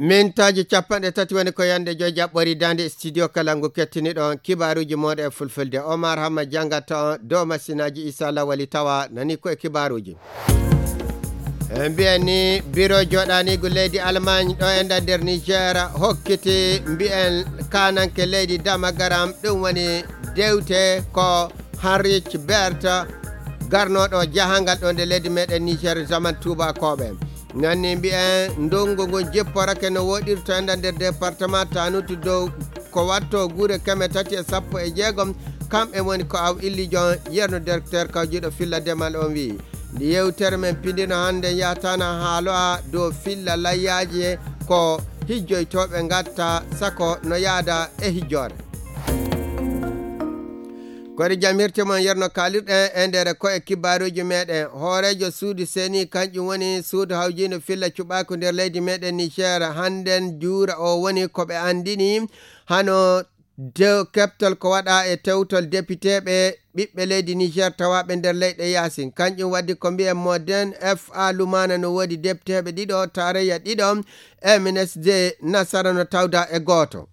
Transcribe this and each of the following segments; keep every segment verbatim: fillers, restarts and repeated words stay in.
Mintaaji capanɗe tati woni ko yande joy jaɓɓori daande studio kala ngu kettiniɗon kibaaruuji mooɗon e fulfulde. Omar Hamma jangata on dow masinaaji Isa Lawali tawa nani ko e kibaaruuji. E mbiyen ni biro jooɗaaniigu leydi Allemagne ɗo e nder Niger hokkiti mbiyen kaananke leydi Damagaram ɗum woni dewte ko Heinrich Bert garnoɗo jahangal ɗo nde leydi meɗen Niger zaman tubakooɓe. Nanni mbiyen ndungu ngun jipporake no woɗirto enda nder département Tanutu dow ko watto gure keme tati e sappo e jeegom. Kamɓe woni ko aw illijon yerno directeur kawjiɗo filla demal on wi'i ndi yewtere men pindino hannde yatana haaloa dow filla layyaaji ko hijjoytooɓe ngatta sako no yaada e hijjoore. Koɗe jam hirte mon yerno kaalirɗen e nder ko e kibaaruuji meɗen. Hooreejo suudu seni kanƴum woni suudu hawjiino filla cuɓaaku nder leydi meɗen Niger hannden juura o woni ko ɓe anndini hano de keptol ko waɗa e tewtol depiteeɓe ɓiɓɓe leydi Niger tawaaɓe nder leyɗe yaasin. Kanƴum waddi ko mbiyen mo den F A Lumana no woodi depiteeɓe ɗiɗo, tarayya ɗiɗo, M N S D nasara no tawda e gooto.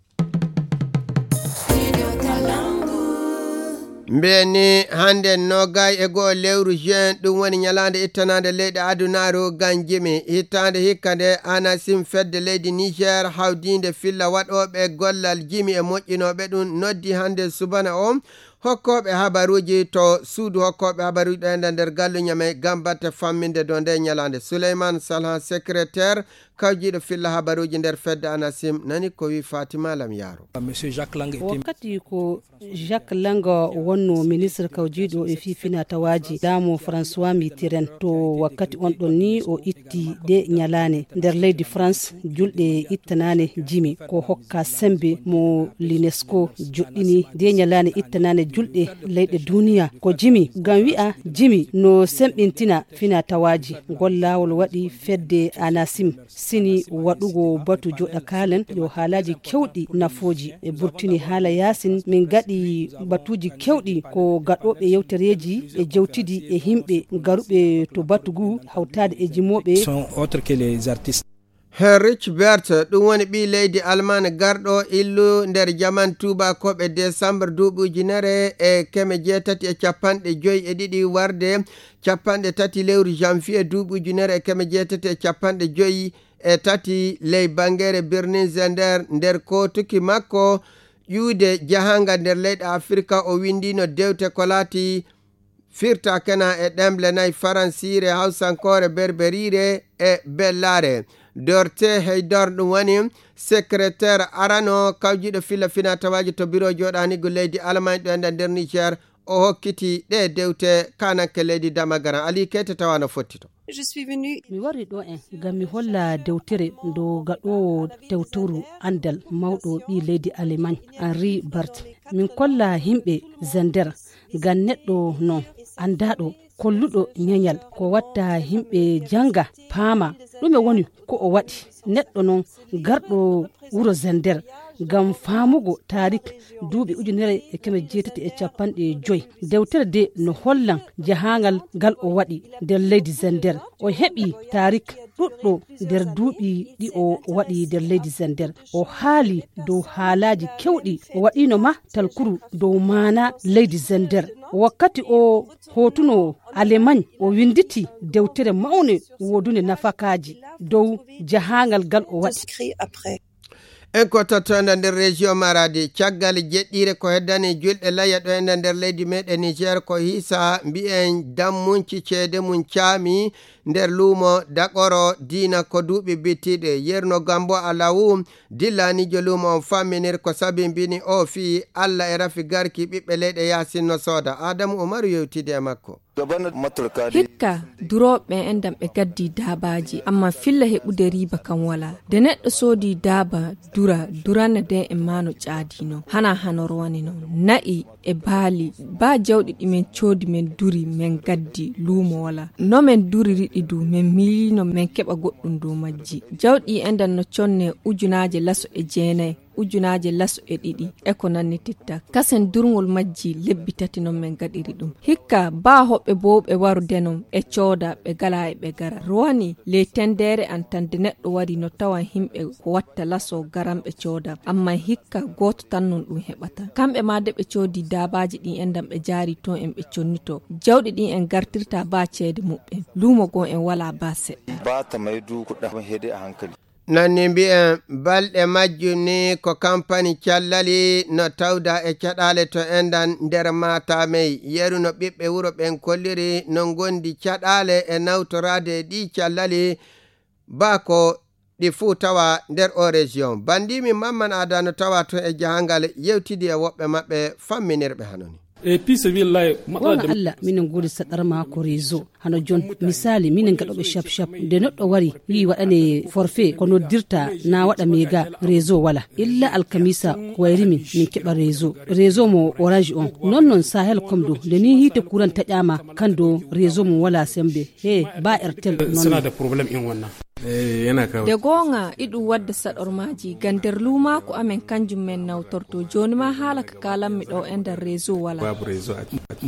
Mbeni hannde nogay e go'o lewru juin ɗum woni ñalaande ittanaande leyɗe adunaaru ngam jimi. Hittaande hikka nde anasim fedde leydi Niger hawdiinde filla waɗooɓe gollal jimi e moƴƴinooɓe ɗum noddi hannde subana o hokkooɓe habaruuji to suudu hokkooɓe habaruuji ɗo enda nder gallu ñame ngam batte famminde dow nde ñalaande. Suleyman Salhan, secrétaire kawjiiɗo filla habaruuji nder fedde anasim nani ko wi Fatima Lam Yaro. Monsieur Jacques Lang était wakkati ko Jacques Lang wonno ministre kawjiiɗo e fii finaa tawaaji laamu François Mitterrand. To wakkati on ɗon ni o itti ɗe ñalaane nder leydi France julɗe ittanaane jimi ko hokka sembe mo l'UNESCO joɗɗini ɗe ñalaane ittanaane julɗe leyɗe duniya ko jimi ngam wi'a jimi no semɓintina finaa tawaaji. Ngol laawol waɗi fedde anasim sini waɗugo batu joɗa kaalen yo haalaaji kewɗi nafooji e burtini haala yaasin min gaɗi batuuji kewɗi ko gaɗooɓe yewtereeji e jewtidi e himɓe garuɓe to batu ngu hawtaade e jimooɓe sont autres que les artistes. Heinrich Bert ɗum woni ɓii leydi Almaan garɗo illu nder jaman tuubakooɓe desambar duuɓi ujunere e keme jeetati e capanɗe joyi e ɗiɗi warde capanɗe tati lewru janvier duuɓi ujunere e keme jeetati e capanɗe joyi e tati ley bangeere birnin Zender nder kootuki makko ƴuude jahangal nder leyɗe Afirka o windino dewte ko laati firta kena e ɗemle nayi faransiire, hawsankoore, berberiire e bellaare. Dorte Heydor ɗum woni secrétaire arano kawjiɗo filla fina tawaji to biro joɗanigo leydi Alamañ ɗo enda nder Niger. O hokkiti ɗe dewte kananke leydi Damagaran. Ali Keyte tawa no fotti to. Mi wari ɗo en ngam mi holla dewtere ndo gaɗoowo tewtoru andal mawɗo ɓii leydi Alemañ, Henri Bart. Min kolla himɓe Zender ngam neɗɗo non andaaɗo kolluɗo ñeñal ko watta himɓe janga paama ɗume woni ko o waɗi. Neɗɗo non garɗo wuro Zender ngam faamugo taarik duuɓi ujunere e keme jeetati e capanɗe joyi. Dewtere de no hollan jahaangal ngal o waɗi nder leydi Zender. O heɓi taarik ɗuɗɗo nder duuɓi ɗi o waɗi nder leydi Zender. O haali dow haalaaji kewɗi o waɗino ma talkuru dow maana leydi Zender. Wakkati o hotuno Alemañ o winditi dewtere mawne wodunde nafakaaji dow jahaangal ngal o waɗi. En ko tottonde nder région Maradi caggal jeɗɗire ko heddani julɗe layya ɗo enda nder leydi meɗen Niger ko hisa mbiyen dammunci ceede mum caami nder luumo daɓoro diina ko duuɓi bittiɗe yerno gambo alawu dillanijo luumo on famminir ko sabimbini o fii Allah e rafi garki ɓiɓɓe leyɗe yasin no sooda. Adamu Umaru yewtidi e makko. Hikka durooɓe ɓen enɗam ɓe gaddi daabaaji amma filla heɓude riiba kan walaa. Nde neɗɗo soodi daaba dura durana nden e maa no ƴaadii non hanaa hano rowani non. Na'i e baali baa jawɗi ɗi men coodi men duri men gaddi luumo walaa. No men duriri ɗi duu men miiliino men keɓa goɗɗum dow majji. Jawɗi enɗam no connee ujunaaje laso e jeenay. ujunaaje laso e ɗiɗi e ko nannititta. Kasen durngol majji lebbi tati non men gaɗiri ɗum. Hikka baa hoɓɓe bowɓe waru denon ɓe cooda, ɓe gala e ɓe gara. Rowani ley tendeere an tan de neɗɗo wari no tawan himɓe ko watta laso garan ɓe cooda. Amma hikka gooto tan non ɗum heɓata. Kamɓe ma de ɓe coodi daabaaji ɗin endan ɓe jaari ton en ɓe connito. Jawɗi ɗin en gartirta baa ceede muɓɓen. Luumo goo en walaa baa seɗɗa. Ba ta mai du kuɗa hede a hankali. Nanni mbi'en balɗe majjum ni ko kampani callali no tawda e caɗaale to endan nder matamey. Yeru no ɓiɓɓe wuro ɓen kolliri no ngondi caɗaale e nawtoraade e ɗi callali baa ko ɗi fuu tawa nder o région. Bandimi Mamman Ada no tawa to e jahangal yewtidi e woɓɓe maɓɓe famminirɓe hanoni. E pii sabillahi matsala. Wonga da Allah minen godi sadar ma ko réseau. Hano jon misali minen gaɗoɓe shap shap nde neɗɗo wari yi waɗane forfait ko noddirta na waɗa mega réseau wala illa alkamisa ko wayri min min keɓa réseau. Réseau mo orange on non non sahel kom do nde ni hite kuran taƴama kan do réseau mum wala sembe he ba ertel non. Suna da problème in wannan. Eh, yana kawo. De goonga iɗum wadda saɗormaaji ga nder luumaaku amen kanjum men nawtorto jooni ma haala ka kaalanmi ɗo e nder réseau wala. Babu réseau a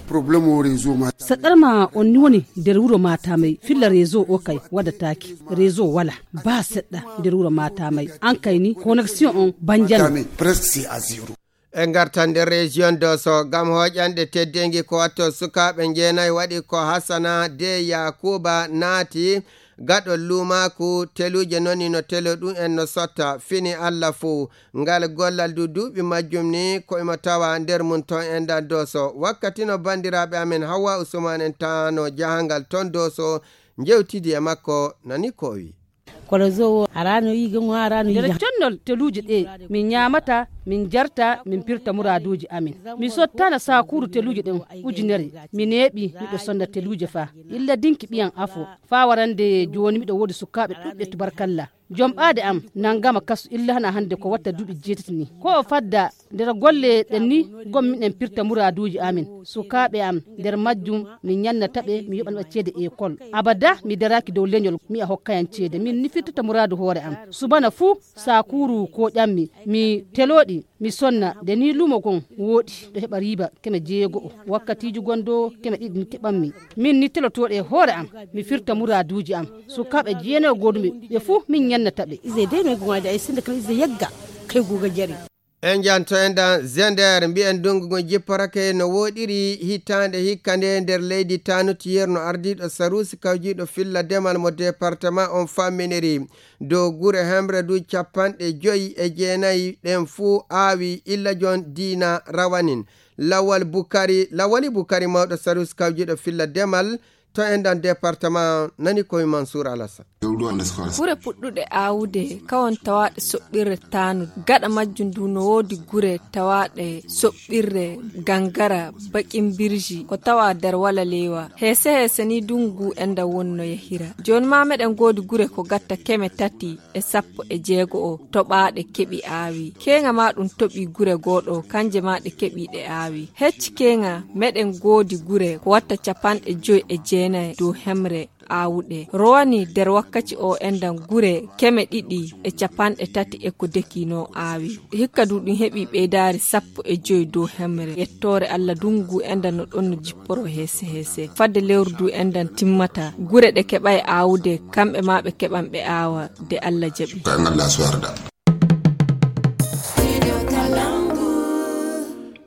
problème o réseau ma. Saɗɗarma on ni woni nder wuro matamay filla réseau o kay waɗataaki réseau wala ba seɗɗa nder wuro matamay an kay ni connexion on banjano. Presque c'est à zéro. E ngartan nder région doso ngam hoƴanɗe teddeengi ko watto sukaaɓe njeenayi waɗi ko hasana de yakuba naati gaɗol luumaaku teluuje noni no telo ɗum en no sotta fini allah fuu. Ngal gollal du duuɓi majjum ni ko imo tawa nder mum ton e ndan doso wakkati no banndiraaɓe amen hawwa usman en tano jahangal ton doso. Njewtidi e makko nani ko o wi. Kono zo o arano yi gango arano yi. Nder connol teluuje ɗe min ñaamata min jarta min pirta muraaduuji amin. Mi sottana sakuuru teluuje ɗen ujunere mi neeɓi miɗo sonna teluuje fa illa dinki ɓiyan afo fa warande jooni miɗo woodi sukaaɓe ɗuɗɓe tubarkalla. Jom ɓaade am nangama kasu illa hana hannde ko watta duuɓi jeetati ni ko o fadda nder golle ɗen ni gom miɗen pirta muraaduuji amin. Sukaaɓe am nder majjum mi ñannata ɓe mi yoɓana ɓe ceede ekol. Abada mi daraaki dow leñol mi a hokkayan ceede min ni firtata muraadu hoore am. Subana fuu sakuuru ko ƴammi mi telooɗi mi sonna nde ni lumo gon wooɗi ɗo heɓa riiba keme jeego'o wakkatiiji gon do keme ɗiɗi keɓanmi. Min ni telotooɗe hoore am mi firta muraaduuji am. Sukaaɓe jeenayo gooduɓe ɓe fuu min ñannata ɓe. Ize dey no goŋaade ay sinde kala ize yagga kay guuga jari. En janto en dan zender mbiyen ndungu ngu jipporake no woɗiri hitaande hikka nde nder leydi tanutiyerno ardiiɗo sarusi kawjiiɗo filla demal mo département on famminiri dow gure hemre du capanɗe joyi e jeenayi ɗen fuu aawi illa jon diina rawanin. Lawal bukari lawali bukari mawɗo sarusi kawjiiɗo filla demal to enɗan département nani koye mansour alassane. Gure puɗɗuɗe aawude kawon tawaaɗe soɓɓirre taanu gaɗa majjum ndu no woodi gure tawaaɗe soɓɓirre gangara bakin birji ko tawa nder wala leewa heese heese ni dungu enɗan wonno yahira. Jooni ma meɗen ngoodi gure ko gatta keme tati e sappo e jeego o toɓaaɗe keɓi aawi keeŋa ma ɗum toɓi gure gooɗo kanje ma ɗe keɓi ɗe aawi. Hecci keeŋa meɗen ngoodi gure ko watta capanɗe joyi e jeenayi dow hemre aawuɗe rowani nder wakkaci o enɗan gure keme ɗiɗi e capanɗe tati e ko dekino aawi. Hikka du ɗum heɓi ɓeydaari sappo e joyi dow hemre yettoore allah dungu enɗan no ɗon no jipporo heese heese fadde lewru du enɗan timmata gure ɗe keɓay aawude kamɓe ma ɓe keɓan ɓe aawa de allah jaɓi.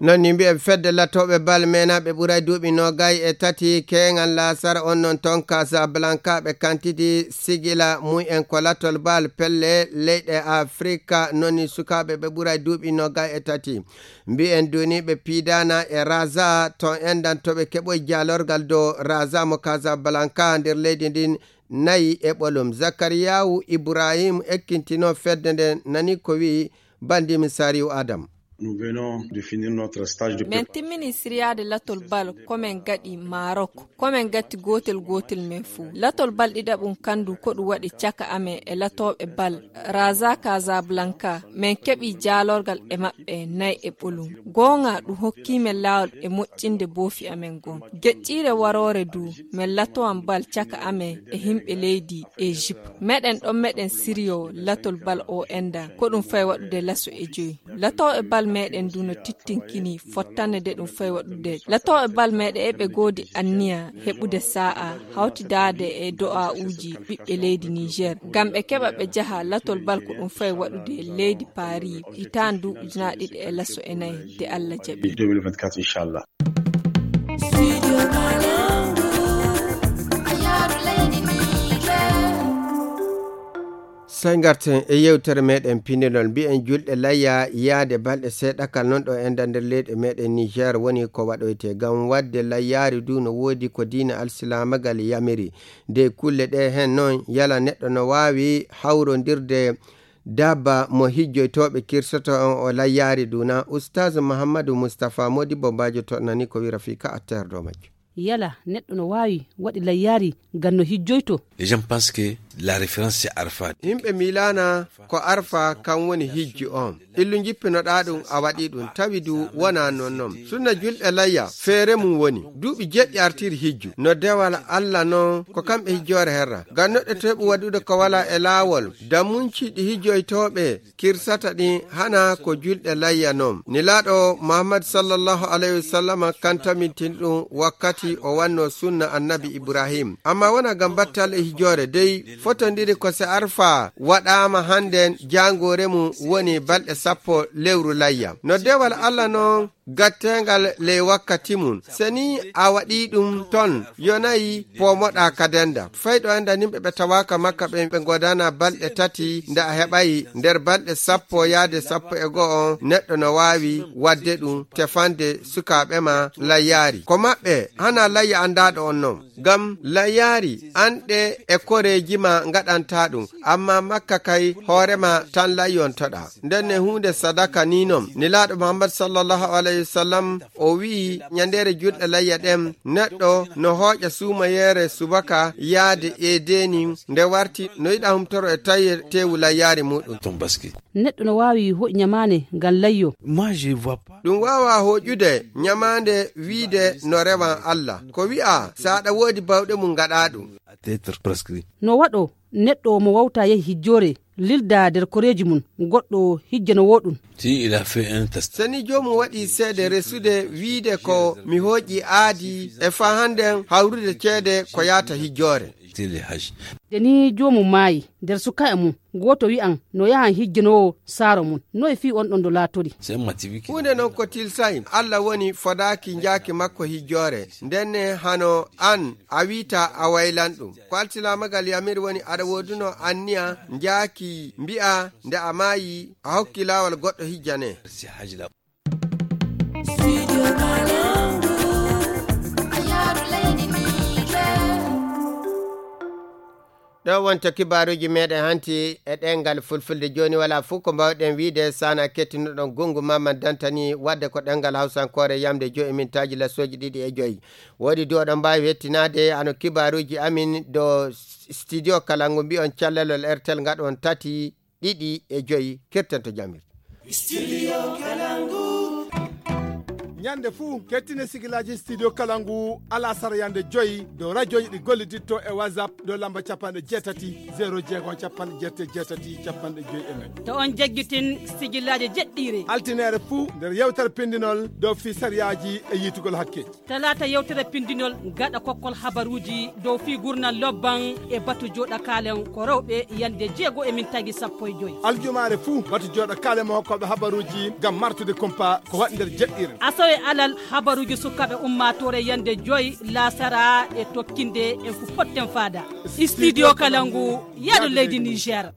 Non ni mbiyen fedde lattooɓe bal meenaaɓe ɓuray duuɓi noogay e tati keeŋal laasara on non ton casablanca ɓe kantiti sigila mum en ko lattol bal pelle leyɗe afrika non ni sukaaɓe ɓe ɓuray duuɓi noogay e tati. Mbiyen duniiɓe piidaana e raza ton enɗan to ɓe keɓoy jaalorgal dow raza mo casablanca nder leydi ndin nayi e ɓolum zakariyawu ibrahim ekkintinoo fedde nde nani ko wi'i bandiimi sariyu adam. Nous venons de finir notre stage de Men timmini siriyaade latol bal ko men gaɗi Maroc. Ko men gatti gootel gootel men fuu. Latol bal ɗiɗaɓum kandu ko ɗum waɗi caka amen e latooɓe bal Raza Casablanca. Men keɓi jaalorgal e maɓɓe nay e ɓolum. Goonga ɗum hokkii men laawol e moƴƴinde boofi amen ngon. Geƴƴiire waroore du, men latowan bal caka amen e himɓe leydi Egypte. Meɗen ɗon meɗen siriyo latol bal o enda, ko ɗum fay waɗude laso e joyi. Latooɓe bal meɗen du no tittinkini fottande de ɗum fay waɗude. Latooɓe bal meɗen eɓe goodi anniya heɓude sa'a hawtidaade e do'a'uuji ɓiɓɓe leydi Niger. Ngam ɓe keɓa ɓe jaha latol bal ko ɗum fay waɗude leydi Paris hitaande ujunaaɗiɗi e laso e nayi de Allah jaɓi. Deux mille vingt-quatre, inchallah. Sey ngarten e yewtere meɗen pinndinol, mbiyen julɗe layya yaade balɗe seeɗakal non ɗo enda nder leyɗe meɗen Niger woni ko waɗoyte. Ngam waɗde layyaari du no woodi ko diina alsilaamagal yamiri. Nde kulle ɗe hen non yala neɗɗo no waawi hawrondirde dabba mo hijjoytooɓe kirsoto on o layyaari du na? Ustaz Muhammadu Mustafa Modibo Bajo toɗnani ko wira fii ka atteer dow majjo. Yala neɗɗo no waawi waɗi layyaari ngam no hijjoyto? Les gens pensent que la référence, c'est Arafat. Yimɓe miilaana ko Arfa kan woni hijju on. Illu njippinoɗaa ɗum a waɗii ɗum, tawi du wonaa non non. Sunna julɗe layya, feere mum woni. Duuɓi jeɗɗi artiri hijju. No dewal Alla non, ko kamɓe hijjoore herra. Ngam neɗɗo teɓu waɗude ko walaa e laawol, dammunci ɗi hijjoytooɓe kirsata ɗin hana ko julɗe layya non. Nilaaɗo Muhammad sallallahu alayhi wa sallam kan tamintin ɗum wakkati o wanno sunna annabi Ibrahim. Amma wona ngam battal e hijoore dey fotondiri ko se Arfa waɗaama hannden jaangoore mum woni balɗe sappo lewru layya. No dewal Alla non gatteengal ley wakkati mum. Se ni a waɗii ɗum ton, yonayi poomoɗaa ka denda. Fay ɗo enda nimɓe ɓe tawaaka Makka ɓen ɓe ngoodana balɗe tati, nde a heɓayi nder balɗe sappo yaade sappo e go'o on, neɗɗo no waawi waɗde ɗum, tefande sukaaɓe ma layyaari. Ko maɓɓe, hana layya anndaaɗo on non. Ngam layyaari, an ɗe e koreeji ma ngaɗanta ɗum, amma Makka kay hoore ma tan layyontoɗaa. Nden ne huunde sadaka ni non. Nelaaɗo Muhammad sallallahu alayhi wa sallam o wi'i, ɲandeere julɗe layya ɗen, neɗɗo no hooƴa suumayeere subaka yaade eedeeni, nde warti no yiɗa humtoro e taye teewu layyaari muɗum. Ton baski. Neɗɗo no waawi hooƴ ɲamaande ngam layyo. Moi, je vois pas. Ɗum waawaa hooƴude ɲamaande wiide no rewan Alla. Ko wi'a, so aɗa woodi bawɗe mum ngaɗaa ɗum. À titre prescrit. No waɗo neɗɗo mo wawta yahi hijjoore, lilda nder koreeji mum, goɗɗo hijjanowo ɗum. Si il a fait un test. Se ni joomum waɗi seede resude wiide ko mi hooƴi aadi e faa hannden hawrude ceede ko yaata hijjoore. C'est le hajj. Nde ni joomum maayi, nder sukaaɓe mum, gooto wi'an no yahan hijjanowo saaro mum. Noye fii on ɗon do laatori? C'est un matibi qui. Huunde non ko tilsay, Alla woni fodaaki njaaki makko hijjoore. Nden ne hano an a wiita a waylan ɗum. Ko alsilaamagal yamiri woni aɗa wooduno anniya njaaki mbi'a nde a maayi a hokki laawol goɗɗo hijjane. C'est hajj la. Ɗo wonta kibaaruuji meɗen hanti e ɗemngal fulfulde. Jooni walaa fof ko mbaawɗen wiide sana kettinuɗon gongu Mamadou Dantani, wadde ko ɗemngal hawsankoore yamde joyi e mintaaji lasooji ɗiɗi e joyi. Woodi du oɗon mbaawi hettinaade ano kibaaruuji amin do studio kala ngu mbi'on callalol R T L ngaɗon tati, ɗiɗi e joyi, kirten to jamirde. Studio Kalangu. Ɲande fuu, kettine sigilaaji Studio Kalangu, alasara ɲande joyi, dow rajooji ɗi golliditto e WhatsApp, dow lamba capanɗe jeetati, zero jeego, capanɗe jeetati, capanɗe joyi e nayi. To on jaggitin sigilaaji jeɗɗiire. Altineere fuu, nder yewtere pindinol, dow fii sariyaaji e yiitugol hakkeeji. Talaata yewtere pindinol gaɗa kokkol habaruuji dow fii gurnal lobban e batu jooɗa kaalen ko rewɓe ɲande jeego e mintaaji sappo e joyi. Aljumaare fuu batu jooɗa kaalen mo hokkooɓe habaruuji ngam martude kumpa ko waɗi nder jeɗɗiire. Asawe alal habaruuji sukaaɓe ummaatoore ɲande joyi laasara e tokkinde en ko potten faada. Studio Kalangu, yaadu leydi Niger.